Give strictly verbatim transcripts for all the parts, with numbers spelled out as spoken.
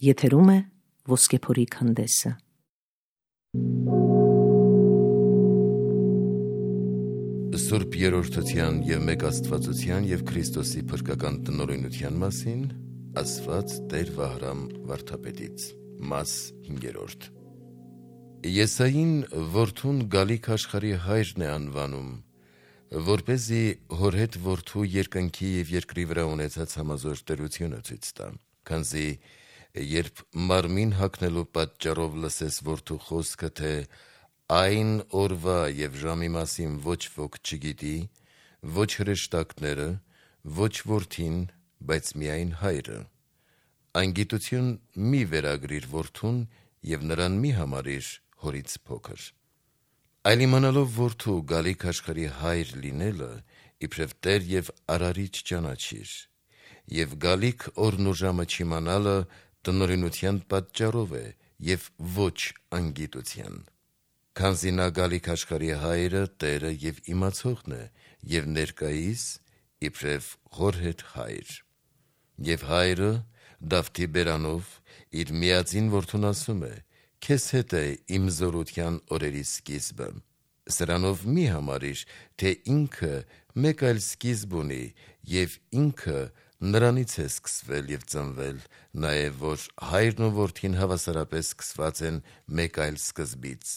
Եթերում է Ոսկեփորի քանդեսը։ Սուրբ Երրորդության և մեկ Աստվածության և Քրիստոսի փրկական տնօրինության մասին ասված Տեր Վահրամ վարդապետից։ Մաս հինգերորդ։ Եսային որդուն գալիք աշխարհի հայրն է անվանում, որպեսզի հոր հետ որդու երկնքի և երկրի վրա ունեցած համազոր տերությունը ցույց տա, քանզի երբ մարմին հագնելու պատճառով լսես որդու խոսքը, թե այն օրվա և ժամի մասին ոչ ոք չգիտի, ոչ հրեշտակները, ոչ որդին, բայց միայն հայրը, այն գիտություն մի վերագրիր որդուն և նրան մի համարիր հորից փոքր։ Այլ իմանալով որդու գալիք աշխարհի հայր լինելը իբրև Տեր և Արարիչ ճանաչիր, և գալիք օրն ու ժամը չիմանալը տնօրինության պատճառով է և ոչ անգիտության, քանզի նա գալիք աշխարհի հայրը, Տերը և իմացողն է և ներկայիս իբրև հոր հետ հայր։ Եվ հայրը Դավթի բերանով իր միածին որդուն ասում է. «Քեզ հետ է իմ զորության օրերի սկիզբը»։ Սրանով մի համարիր, թե ինքը մեկ այլ սկիզբ ունի և ինքը նրանից է սկսվել և ծնվել, նաև որ հայրն ու որդին հավասարապես սկսված են մեկ այլ սկզբից։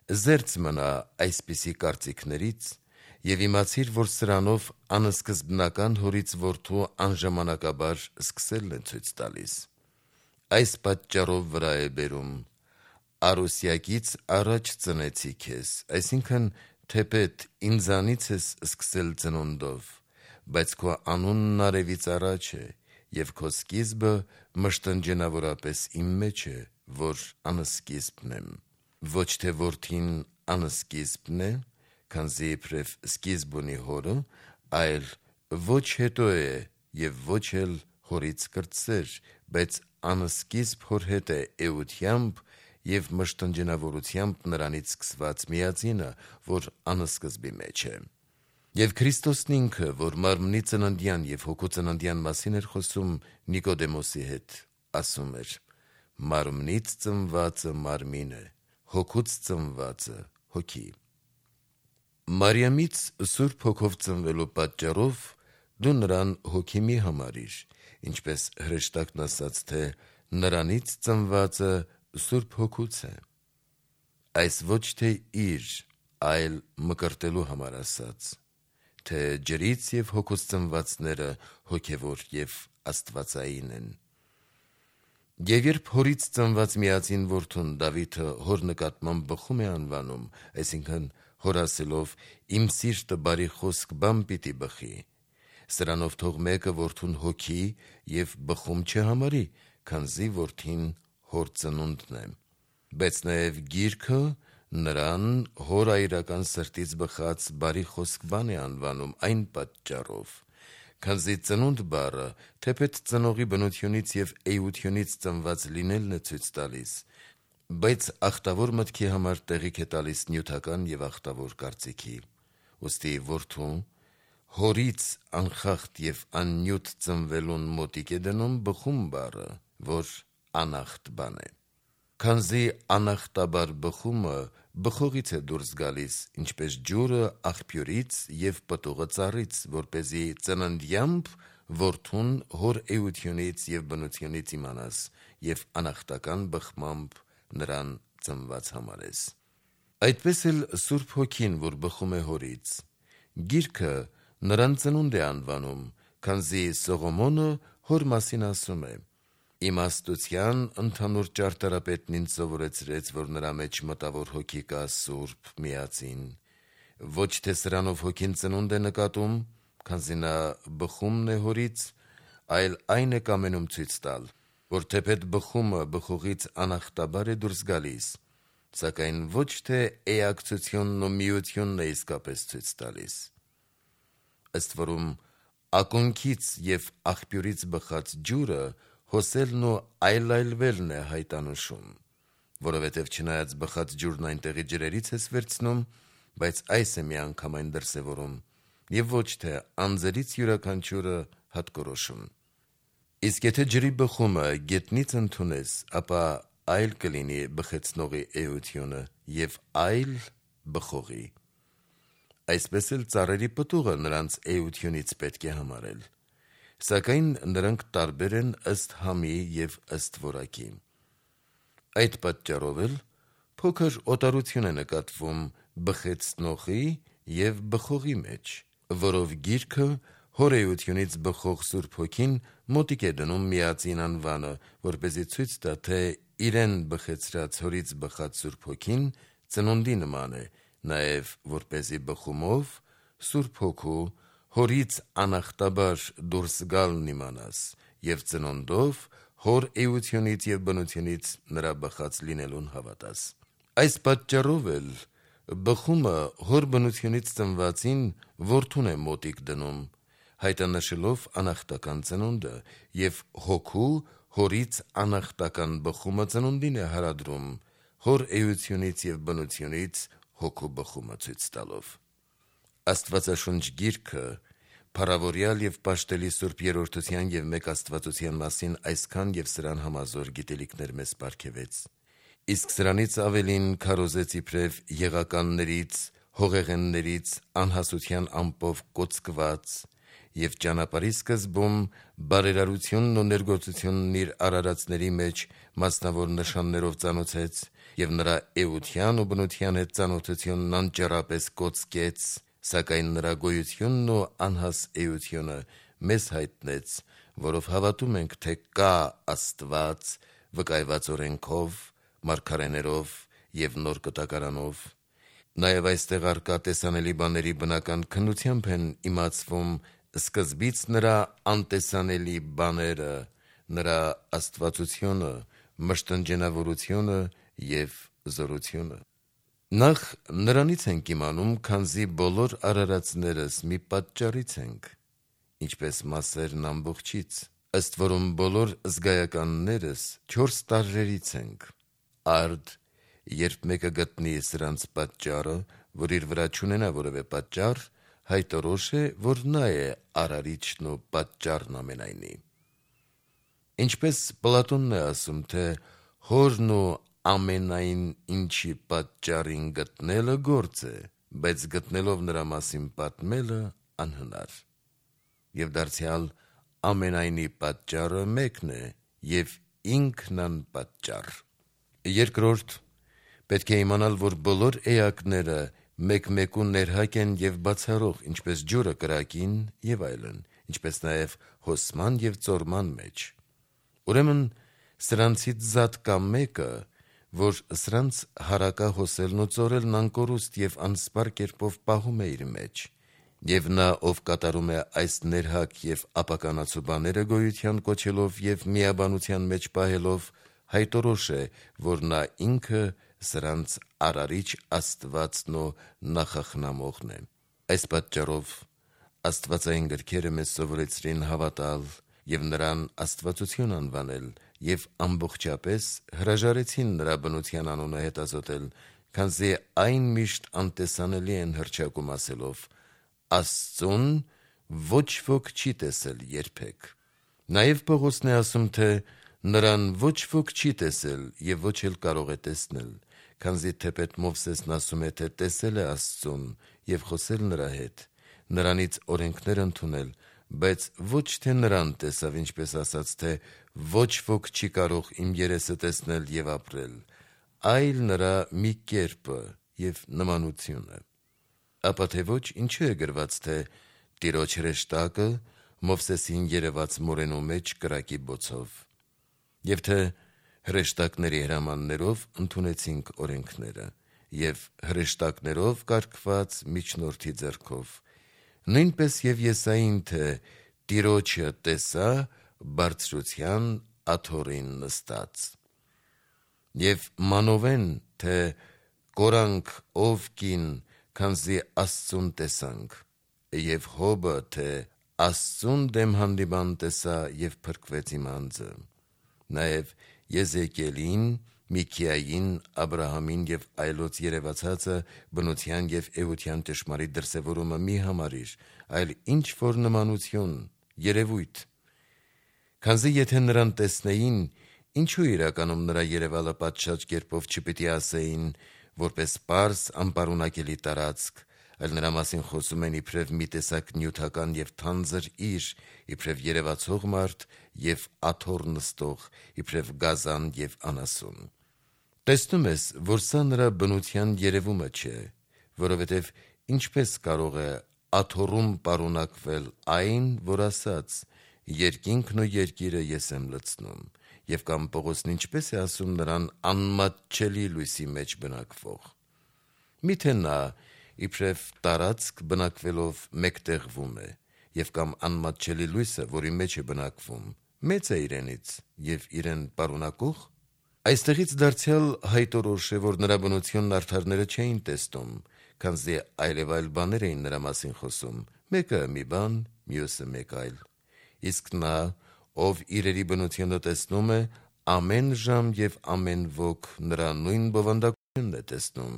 Զերծ մնա այսպիսի կարծիքներից և իմացիր, որ սրանով անսկզբնական հորից որդու անժամանակաբար սկսելն է ցույց տալիս։ Այս պատճառով վրա է բերում. «Արուսյակից առաջ ծնեցի քեզ», այսինքն թեպետ ինձանից ես սկսել ծնունդով, բայց քո անունն արևից առաջ է, և քո սկիզբը մշտնջենավորապես իմ մեջ է, որ անսկիզբն եմ։ Ոչ թե որդին անսկիզբն է, քանզի իբրև սկիզբ ունի հորը, այլ ոչ հետո է և ոչ էլ հորից կրտսեր, բայց անսկիզբ հոր հետ է էությամբ և մշտնջենավորությամբ նրանից սկսված միածինը, որ անսկզբի մեջ է։ Եվ Քրիստոսն ինքը, որ մարմնի ծննդյան և հոգու ծննդյան մասին էր խոսում Նիկոդեմոսի հետ, ասում էր. «Մարմնից ծնվածը մարմին է, հոգուց ծնվածը հոգի»։ Մարիամից Սուրբ Հոգով ծնվելու պատճառով դու նրան հոգի մի համարիր, ինչպես հրեշտակն ասաց, թե նրանից ծնվածը Սուրբ Հոգուց է։ Այս ոչ թե իր, այլ մկրտելու համար ասաց, թե ջրից և հոգուց ծնվածները հոգևոր և աստվածային են։ Եվ երբ հորից ծնված միածին որդուն Դավիթը հոր նկատմամբ բխում է անվանում, այսինքն հոր ասելով. «Իմ սիրտը բարի խոսք բան պիտի բխի», սրանով թող մեկը որդուն հոգի և բխում չհամարի, քանզի որդին հոր ծնունդն է, բայց նաև Գիրքը նրան հոր այրական սրտից բխած բարի խոսք բան է անվանում այն պատճառով, քանզի ծնունդ բառը թեպետ ծնողի բնությունից և էությունից ծնված լինելն է ցույց տալիս, բայց ախտավոր մտքի համար տեղիք է տալիս նյութական և ախտավոր կարծիքի։ Ուստի որդու հորից անխախտ և աննյութ ծնվելուն մոտիկ է դնում բխում բառը, որ անախտ բան է։ Քանզի անախտաբար բխումը բխողից է դուրս գալիս, ինչպես ջուրը աղբյուրից և պտուղը ծառից, որպեսզի ծննդյամբ որդուն հոր էությունից և բնությունից իմանաս և անախտական բխմամբ նրան ծնված համարես։ Այդպես էլ Սուրբ Հոգին, որ բխում է հորից, Գիրքը նրան ծնունդ է անվանում, քանզի Սողոմոնը հոր մասին ասում է. «Իմաստության ընդհանուր ճարտարապետն ինձ սովորեցրեց, որ նրա մեջ մտավոր հոգի կա սուրբ, միածին, ոչ թե սրանով հոգին ծնունդ է նկատում, քանզի նա բխումն է հորից, այլ այն է կամենում ցույց տալ, որ թեպետ բխումը բխողից անախտաբար է դուրս գալիս, սակայն ոչ թե էակցությունն ու միությունն է իսկապես ցույց տալիս։ Ըստ որում ակունքից և աղբյուրից բխած ջուրը հոսելն ու այլայլվելն է հայտանշում, որովհետև չնայած բխած ջուրն այնտեղի ջրերից ես վերցնում, բայց այս է միանգամայն դրսևորում և ոչ թե անձերից յուրաքանչյուրը հատկորոշում։ Իսկ եթե ջրի բխումը գետնից ընդունես, ապա այլ կլինի բխեցնողի էությունը և այլ բխողի։ Այսպես էլ ծառերի պտուղը նրանց էությունից պետք է համարել, սակայն նրանք տարբեր են ըստ համի և ըստ որակի։ Այդ պատճառով էլ փոքր օտարություն է նկատվում բխեցնողի և բխողի մեջ, որով գիրքը հոր էությունից բխող Սուրբ Հոգին մոտիկ է դնում միածին անվանը, որպեսզի ցույց տա, թե իրեն բխեցրած հորից բխած Սուրբ Հոգին ծնունդի նման է, նաև որպեսզի բխումով Սուրբ Հոգու հորից անախտաբար դուրս գալն իմանաս և ծնունդով հոր էությունից և բնությունից նրա բխած լինելուն հավատաս։ Այս պատճառով էլ բխումը հոր բնությունից ծնվածին որդուն է մոտիկ դնում, հայտնշելով անախտական ծնունդը, և հոգու հորից անախտական բխումը ծնունդին է հարադրում, հոր էությունից և բնությունից հոգու բխումը ցույց տալով։ Աստվածաշունչ գիրքը փառավորյալ և պաշտելի Սուրբ Երրորդության և մեկ Աստվածության մասին այսքան և սրան համազոր գիտելիքներ մեզ պարգևեց, իսկ սրանից ավելին քարոզեց իբրև եղականներից, հողեղեններից, անհասության ամպով կոծկված և ճանապարհի սկզբում բարերարությունն ու ներգործությունն իր արարածների մեջ մասնավոր նշաններով ծանոթեց և նրա էության ու բնության հետ ծանոթությունն անճեռապես կոծկեց, սակայն նրա գոյությունն ու անհաս էությունը մեզ հայտնեց, որով հավատում ենք, թե կա Աստված վկայված օրենքով, մարգարեներով և նոր կտակարանով։ Նաև այստեղ առկա տեսանելի բաների բնական քննությամբ են իմացվում սկզբից նրա անտեսանելի բաները, նրա աստվածությունը, մշտնջենավորությունը և զորությունը։ Նախ նրանից ենք իմանում, քանզի բոլոր արարածներս մի պատճառից ենք, ինչպես մասերն ամբողջից, ըստ որում բոլոր զգայականներս չորս տարրերից ենք։ Արդ, երբ մեկը գտնի սրանց պատճառը, որ իր վրա չունենա որևէ պատճառ, հայտորոշ է, որ նա է արարիչն ու պատճառն ամենայնի։ Ինչպես Պլատոնն է ասում, թե հորն ու ամենայն ինչի պատճառին գտնելը գործ է, բայց գտնելով նրա մասին պատմելը անհնար։ Եվ դարձյալ ամենայնի պատճառը մեկն է և ինքն անպատճառ։ Երկրորդ, պետք է իմանալ, որ բոլոր էակները մեկ-մեկու ներհակ են և բացառող, ինչպես ջուրը կրակին և այլն, ինչպես նաև հոսման և ծորման մեջ։ Ուրեմն սրանցից զատ կա մեկը, որ սրանց հարակա հոսելն ու ծորելն անկորուստ և անսպար կերպով պահում է իր մեջ, և նա, ով կատարում է այս ներհակ և ապականացու բաները գոյության կոչելով և միաբանության մեջ պահելով, հայտորոշ է, որ նա ինքը սրանց արարիչ Աստվածն ու նախախնամողն է։ Այս պատճառով աստվածային գրքերը մեզ սովորեցրին հավատալ և նրան աստվածություն անվանել և ամբողջապես հրաժարեցին նրա բնության անունը հետազոտել, քանզի այն միշտ անտեսանելի են հռչակում ասելով. «Աստծուն ոչ ոք չի տեսել երբեք»։ Նաև Պողոսն է ասում, թե նրան ոչ ոք չի տեսել և ոչ էլ կարող է տեսնել, քանզի թեպետ Մովսեսն ասում է, թե տեսել է Աստծուն և խոսել նրա հետ, նրանից օրենքներ ընդունել, բայց ոչ թե նրան տեսավ, ինչպես ասած, թե ոչ ոք չի կարող իմ երեսը տեսնել և ապրել, այլ նրա մի կերպը և նմանությունը։ Ապա թե ոչ, ինչու է գրված, թե Տիրոջ հրեշտակը Մովսեսին երևաց մորենու մեջ կրակի բոցով, և թե հրեշտակների հրամաններով ընդունեցինք օրենքները և հրեշտակներով կարգված միջնորդի ձեռքով, նույնպես և Եսային, թե Տիրոջը տեսա բարձրության աթոռին նստած, և մանովեն, թե կորանք ով կին, քանզի Աստծուն տեսանք, և Հոբը, թե Աստծուն դեմ հանդիման տեսա և փրկվեց իմ անձը, նաև Եզեկիելին, Միքիային, Աբրահամին և այլոց երևացածը բնության և էության ճշմարիտ դրսևորումը մի համարիր, այլ ինչ-որ նմանություն, երևույթ, Քանզի եթե նրան տեսնեին, ինչու իրականում նրա երևալը պատշաճ կերպով չպիտի ասեին, որպես պարզ անպարունակելի տարածք, այլ նրա մասին խոսում են իբրև մի տեսակ նյութական եւ թանձր իր, իբրև երևացող մարդ եւ աթոռ նստող, իբրև գազան եւ անասուն։ Տեսնում ես, որ սա նրա բնության երևումը չէ, որովհետեւ ինչպես կարող է աթոռում պարունակվել այն, որ ասաց. երկինքն ու երկիրը ես եմ լցնում, եւ կամ Պողոսն ինչպես է ասում նրան անմատչելի լույսի մեջ բնակվող։ Միթե նա իբրև տարածք բնակվելով մեկտեղվում է, եւ կամ անմատչելի լույսը, որի մեջ է բնակվում, մեծ է իրենից եւ իրեն պարունակող։ Այստեղից դարձյալ հայտորոշ է, որ նրա բնությունն արդարները չէին տեսնում, քանզի այլև այլ բաներ էին նրա մասին խոսում, մեկը մի բան, մյուսը մեկ այլ։ Իսկ նա, ով իրերի բնությունը տեսնում է, ամեն ժամ եւ ամեն ոք նրա նույն բովանդակությունն է տեսնում,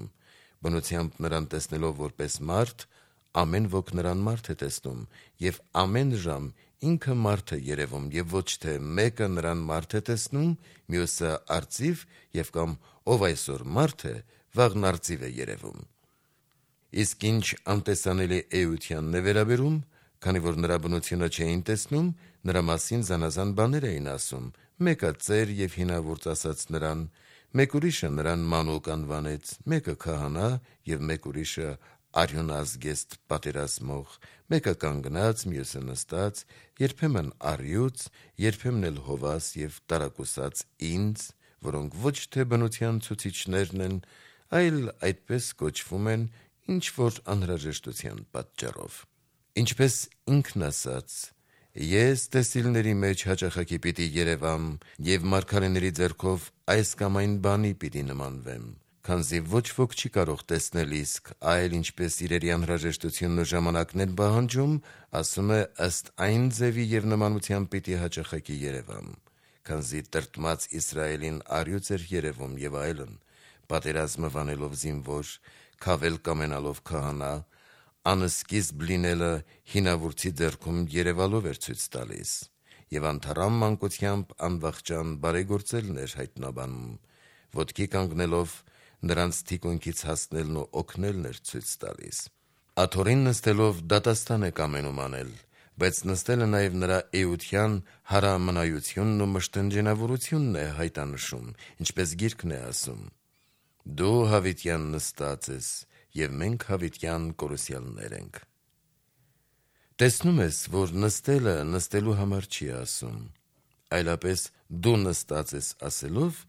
բնությամբ նրան տեսնելով որպես մարդ, ամեն ոք նրան մարդ է տեսնում, եւ ամեն ժամ ինքը մարդ է երևում, եւ ոչ թե մեկը նրան մարդ է տեսնում, մյուսը արծիվ, եւ կամ ով այսօր մարդ է, վաղն արծիվ է երևում։ Իսկ ինչ անտեսանելի էությանն է վերաբերում, քանի որ նրա բնությունը չէին տեսնում, նրա մասին զանազան բաներ էին ասում, մեկը ծեր եւ հինավուրց ասաց նրան, մեկ ուրիշը նրան մանուկ անվանեց, մեկը քահանա եւ մեկ ուրիշը արյունազգեստ պատերազմող, մեկը կանգնած, մյուսը նստած, երբեմն առյուծ, երբեմն էլ հովաս եւ տարակուսած ինձ, որոնք ոչ թե բնության ցուցիչներն են, այլ այդպես կոչվում են ինչ որ անհրաժեշտության պատճառով։ Ինչպես ինքն ասաց. ես տեսիլների մեջ հաճախակի պիտի երևամ եւ մարգարեների ձեռքով այս կամ այն բանի պիտի նմանվեմ, քանզի ոչ ոք չի կարող տեսնել իսկ, այլ ինչպես իրերի անհրաժեշտությունն ու ժամանակն են պահանջում, ասում է ըստ այն ձևի եւ նմանությամբ պիտի հաճախակի երևամ, քանզի տրտմած Իսրայելին առյուծ էր երևում եւ այլն, պատերազմը վանելով զինվոր, քավել կամենալով քահանա, անսկիզբ լինելը հինավուրցի ձեռքում երևալով էր ցույց տալիս, եւ անթառամ մանկությամբ անվախճան բարեգործելն էր հայտնաբանում, ոտքի կանգնելով նրանց թիկունքից հասնելն ու օգնելն էր ցույց տալիս։ Աթոռին նստելով դատաստան է կամենում անել, բայց նստելը նաեւ նրա էության հարամնայությունն ու մշտնջենավորությունն է հայտանշում, ինչպես գիրքն է ասում. Դու հավիտյան նստած ես, եւ մենք հավիտյան կորուսյալներ ենք։ Տեսնում ես, որ նստելը նստելու համար չի ասում, այլապես դու նստած ես ասելով,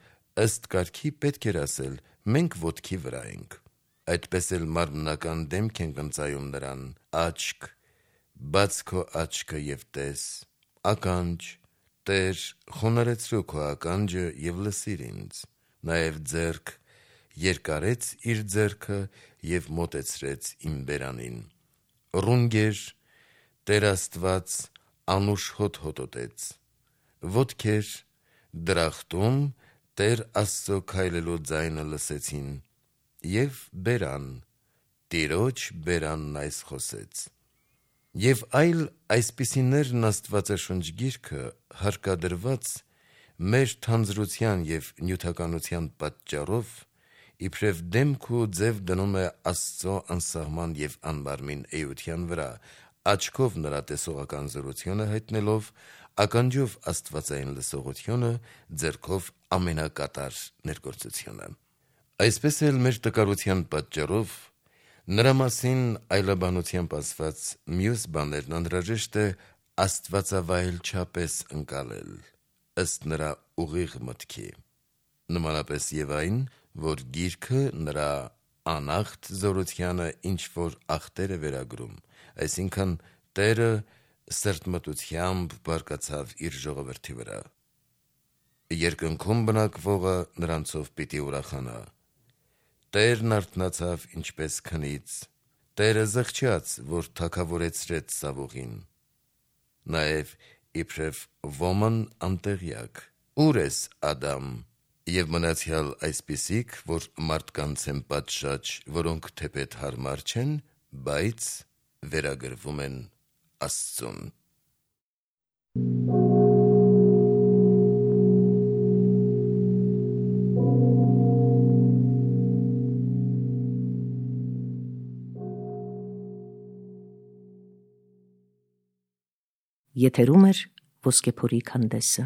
ըստ կարգի պետք էր ասել, մենք ոտքի վրա ենք։ Այդպես էլ մարմնական դեմք ենք ընծայում նրան, աչք, բաց քո աչքը եւ տես, ականջ, Տեր, խոնարհեցրու քո ականջը եւ լսիր ինձ, նաեւ ձեռք, երկարեց իր ձեռքը եւ մոտեցրեց իմ բերանին։ Ռունգեր, Տեր Աստված անուշ հոտ հոտոտեց, ոտքեր, դրախտում Տեր Աստծո քայլելու ձայնը լսեցին, եւ բերան, Տիրոջ բերանն այս խոսեց։ Եվ այլ այսպիսիներն Աստվածաշունչ գիրքը հարկադրված մեր թանձրության եւ նյութականության պատճառով իբրև դեմք ու ձև դնում է Աստծո անսահման եւ անբարմին էության վրա, աչքով նրա տեսողական զորությունը հայտնելով, ականջով աստվածային լսողությունը, ձեռքով ամենակատար ներգործությունը։ Այսպես էլ մեր տկարության պատճառով նրա մասին այլաբանությամբ ասված մյուս բաներն անհրաժեշտ է աստվածավայել չափես ընկալել, ըստ նրա ուղիղ մտքի, նմանապես եւ այն, որ գիրքը նրա անախտ զորությանը ինչ որ ախտեր է վերագրում, այսինքն Տերը սրտմտությամբ բարկացավ իր ժողովրդի վրա։ Երկնքում բնակվողը նրանցով պիտի ուրախանա։ Տերն արթնացավ ինչպես քնից, Տերը զղջաց, որ թագավորեցրեց Սավուղին։ Նաեւ իբրև ոմն անտեղյակ, ուր ես Ադամ, եւ մնացյալ այսպիսիք, որ մարդկանց են պատշաճ, որոնք թեպետ հարմար չեն, բայց վերագրվում են Աստծուն։ Եթերում էր Ոսկեփորի քանդեսը։